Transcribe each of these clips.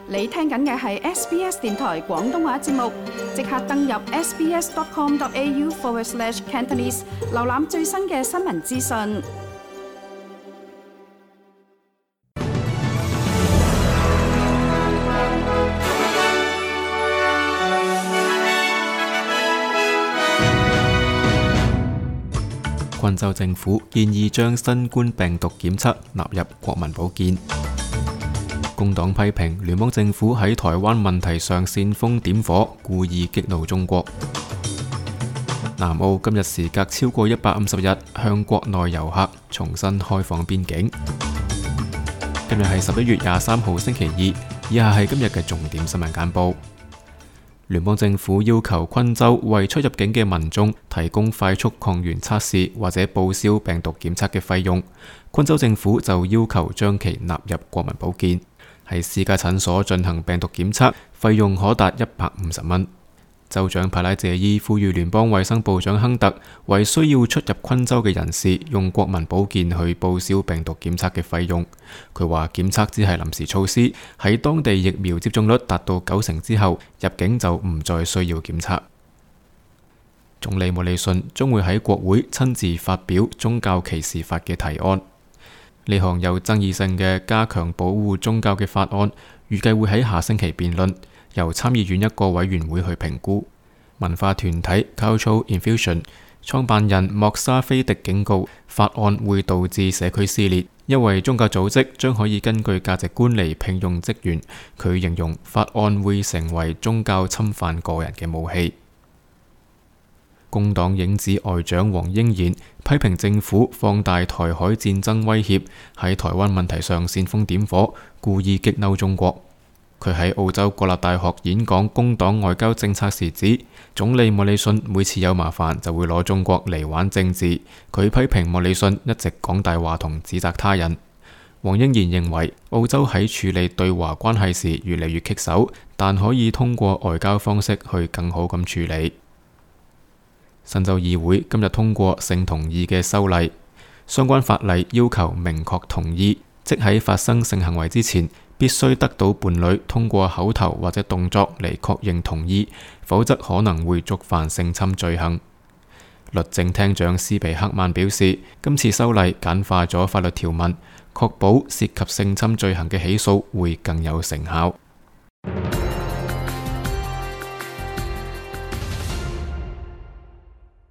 你聽緊嘅係 SBS 電台廣東話節目，即刻登入 sbs.com.au/Cantonese， 瀏覽最新嘅新聞資訊。昆州政府建議將新冠病毒檢測納入國民保健。工黨批評聯邦政府喺台灣問題上煽風點火，故意激怒中國。南澳今日時隔超過150日向國內遊客重新開放邊境。今日係11月23號星期二，以下係今日嘅重點新聞簡報。聯邦政府要求昆州為出入境嘅民眾提供快速抗原測試或者報銷病毒檢測嘅費用，昆州政府就要求將其納入國民保健。喺私家診所進行病毒檢測，費用可達150蚊。州長帕拉謝伊呼籲聯邦衛生部長亨特為需要出入昆州嘅人士用國民保健去報銷病毒檢測嘅費用。佢話檢測只係臨時措施，喺當地疫苗接種率達到90%之後，入境就唔再需要檢測。總理莫里遜將會喺國會親自發表宗教歧視法嘅提案。呢項有爭議性嘅加強保護宗教嘅法案，預計會喺下星期辯論，由參議院一個委員會去評估。文化團體 Cultural Infusion 創辦人莫沙菲迪警告，法案會導致社區撕裂，因為宗教組織將可以根據價值觀嚟聘用職員。佢形容法案會成為宗教侵犯個人嘅武器。工黨影子外長黃英賢批評政府放大台海戰爭威脅，喺台灣問題上煽風點火，故意激嬲中國。佢喺澳洲國立大學演講工黨外交政策時指，總理莫里遜每次有麻煩就會攞中國嚟玩政治。佢批評莫里遜一直講大話同指責他人。黃英賢認為澳洲喺處理對華關係時越嚟越棘手，但可以通過外交方式去更好咁處理。新州議會今日通過性同意嘅修例，相關法例要求明確同意，即喺發生性行為之前，必須得到伴侶通過口頭或者動作嚟確認同意，否則可能會觸犯性侵罪行。律政廳長斯皮克曼表示，今次修例簡化咗法律條文，確保涉及性侵罪行嘅起訴會更有成效。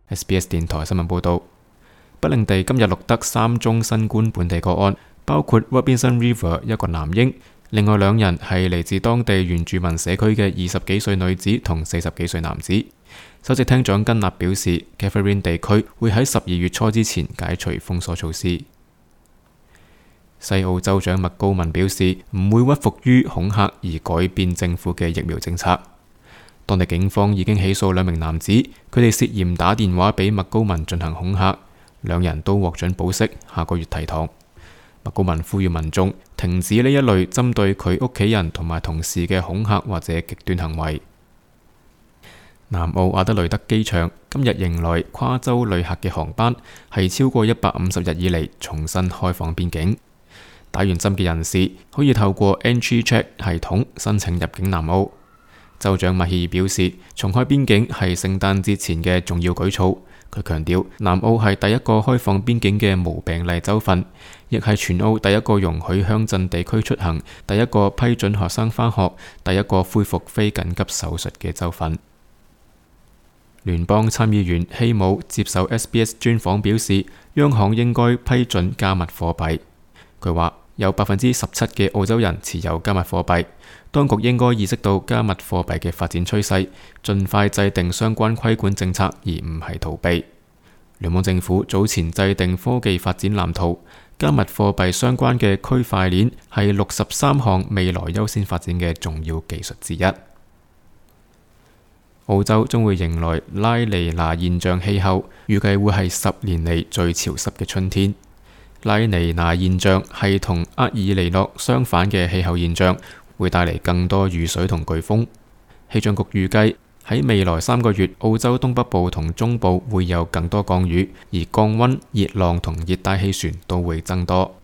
SBS 電台新聞報道，北領地今日錄得3宗新冠本地個案，包括 Robinson River 一個男嬰，另外2人係嚟自當地原住民社區嘅20幾歲女子同40幾歲男子。首席廳長根納表示 Catherine 地區會喺12月初之前解除封鎖措施。西澳州長麥高文表示唔會屈服於恐嚇而改變政府嘅疫苗政策。當地警方已經起訴2名男子，佢哋涉嫌打電話俾麥高文進行恐嚇，2人都獲准保釋，下個月提堂。麥高文呼籲民眾停止呢一類針對佢屋企人同埋同事嘅恐嚇或者極端行為。南澳阿德雷德機場今日迎來跨州旅客嘅航班，係超過150日以嚟重新開放邊境。打完針嘅人士可以透過 Entry Check 系統申請入境南澳。州長麥希爾表示，重開邊境係聖誕節前嘅重要舉措。佢強調，南澳係第一個開放邊境嘅無病例州份，亦係全澳第一個容許鄉鎮地區出行、第一個批准學生返學、第一個恢復非緊急手術嘅州份。聯邦參議員希姆接受 SBS 專訪表示，央行應該批准加密貨幣。佢話有17%嘅澳洲人持有加密貨幣。當局應該意識到加密貨幣嘅發展趨勢，盡快制定相關規管政策，而唔係逃避。聯邦政府早前制定科技發展藍圖，加密貨幣相關嘅區塊鏈係63項未來優先發展嘅重要技術之一。澳洲將會迎來拉尼娜現象氣候，預計會係10年嚟最潮濕嘅春天。拉尼娜現象係同厄爾尼諾相反嘅氣候現象，會帶嚟更多雨水同颶風。氣象局預計喺未來3個月，澳洲東北部同中部會有更多降雨，而降溫、熱浪同熱帶氣旋都會增多。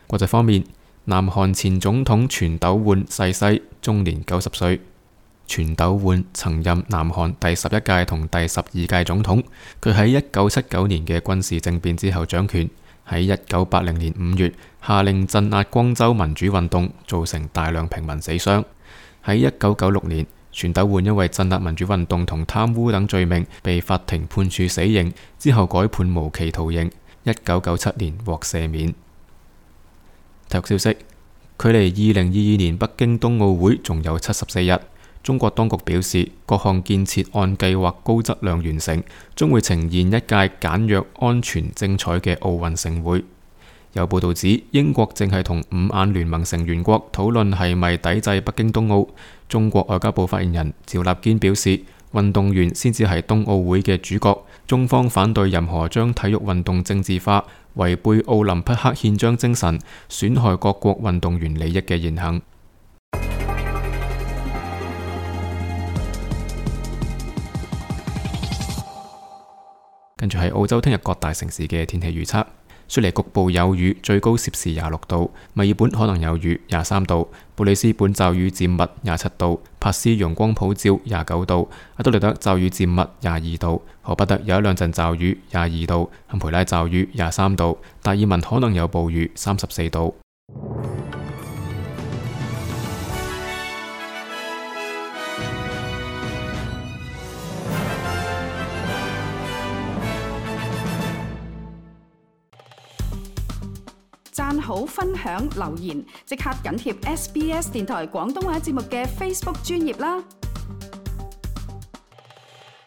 國際方面，南韓前總統全斗煥逝世，終年90歲。全斗煥曾任南韓第11屆同第12屆總統，佢喺1979年嘅軍事政變之後掌權，喺1980年5月下令鎮壓光州民主運動，造成大量平民死傷。喺1996年，全斗煥因為鎮壓民主運動同貪污等罪名被法庭判處死刑，之後改判無期徒刑，1997年獲赦免。體育消息，距離2022年北京冬奧會仲有74日。中國當局表示，各項建設按計劃高質量完成，將會呈現一屆簡約、安全、精彩嘅奧運盛會。有報道指，英國正係同五眼聯盟成員國討論係咪抵制北京冬奧。中國外交部發言人趙立堅表示，運動員先至係冬奧會嘅主角，中方反對任何將體育運動政治化、違背奧林匹克憲章精神、損害各國運動員利益嘅言行。跟住係澳洲聽日各大城市嘅天氣預測：雪梨局部有雨，最高攝氏26度；墨爾本可能有雨，23度；布里斯本驟雨漸密，27度；珀斯陽光普照，29度；阿德萊德驟雨漸密，22度；荷巴特有一兩陣驟雨，22度；坎培拉驟雨，23度；達爾文可能有暴雨，34度。讚好、分享、留言，即刻緊貼SBS 電台廣東話節目嘅 Facebook 專頁啦！